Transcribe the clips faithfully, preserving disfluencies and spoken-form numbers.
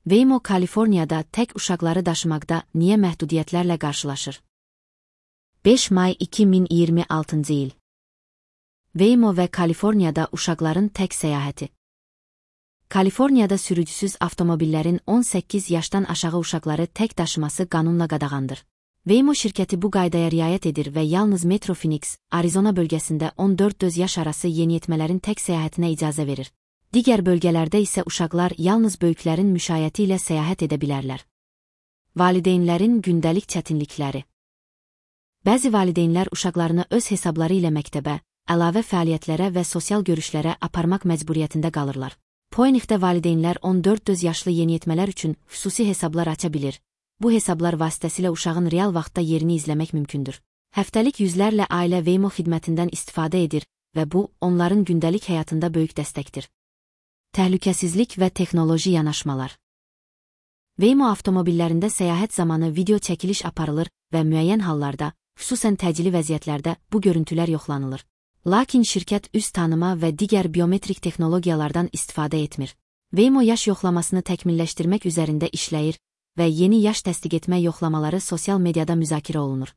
Waymo Kaliforniyada tək uşaqları daşımaqda niyə məhdudiyyətlərlə qarşılaşır? beş may iki min iyirmi altıncı il. Waymo və Kaliforniyada uşaqların tək səyahəti. Kaliforniyada sürücüsüz avtomobillərin on səkkiz yaşdan aşağı uşaqları tək daşıması qanunla qadağandır. Waymo şirkəti bu qaydaya riayət edir və yalnız Metro Phoenix, Arizona bölgəsində on dörd yaş arası yeniyetmələrin tək səyahətinə icazə verir. Digər bölgələrdə isə uşaqlar yalnız böyüklərin müşayiəti ilə səyahət edə bilərlər. Valideynlərin gündəlik çətinlikləri. Bəzi valideynlər uşaqlarını öz hesabları ilə məktəbə, əlavə fəaliyyətlərə və sosial görüşlərə aparmaq məcburiyyətində qalırlar. Phoenixdə valideynlər on dörd yaşlı yeniyetmələr üçün xüsusi hesablar aça bilir. Bu hesablar vasitəsilə uşağın real vaxtda yerini izləmək mümkündür. Həftəlik yüzlərlə ailə Waymo xidmətindən istifadə edir və bu, onların gündəlik həyatında böyük dəstəkdir. Təhlükəsizlik və texnoloji yanaşmalar. Waymo avtomobillərində səyahət zamanı video çəkiliş aparılır və müəyyən hallarda, xüsusən təcili vəziyyətlərdə bu görüntülər yoxlanılır. Lakin şirkət üz tanıma və digər biometrik texnologiyalardan istifadə etmir. Waymo yaş yoxlamasını təkmilləşdirmək üzərində işləyir və yeni yaş təsdiq etmə yoxlamaları sosial mediada müzakirə olunur.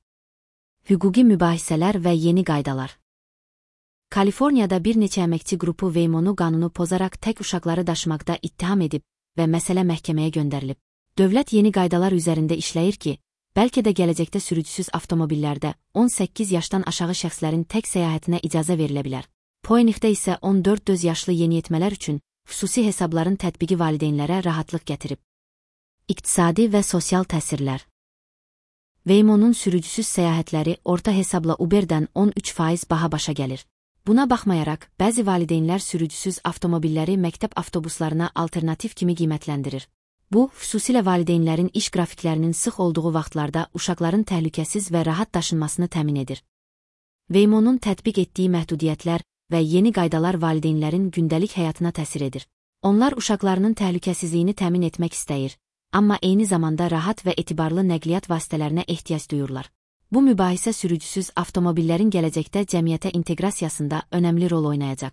Hüquqi mübahisələr və yeni qaydalar. Kaliforniyada bir neçə əməkçi qrupu Waymonu qanunu pozaraq tək uşaqları daşımaqda ittiham edib və məsələ məhkəməyə göndərilib. Dövlət yeni qaydalar üzərində işləyir ki, bəlkə də gələcəkdə sürücüsüz avtomobillərdə on səkkiz yaşdan aşağı şəxslərin tək səyahətinə icazə verilə bilər. Phoenixdə isə on dörd yaşlı yeniyetmələr üçün xüsusi hesabların tətbiqi valideynlərə rahatlıq gətirib. İqtisadi və sosial təsirlər. Waymonun sürücüsüz səyahətləri orta hesabla Uber'dən on üç faiz baha başa gəlir. Buna baxmayaraq, bəzi valideynlər sürücüsüz avtomobilləri məktəb avtobuslarına alternativ kimi qiymətləndirir. Bu, xüsusilə valideynlərin iş qrafiklərinin sıx olduğu vaxtlarda uşaqların təhlükəsiz və rahat daşınmasını təmin edir. Waymonun tətbiq etdiyi məhdudiyyətlər və yeni qaydalar valideynlərin gündəlik həyatına təsir edir. Onlar uşaqlarının təhlükəsizliyini təmin etmək istəyir, amma eyni zamanda rahat və etibarlı nəqliyyat vasitələrinə ehtiyac duyurlar. Bu mübahisə sürücüsüz avtomobillərin gələcəkdə cəmiyyətə inteqrasiyasında önəmli rol oynayacaq.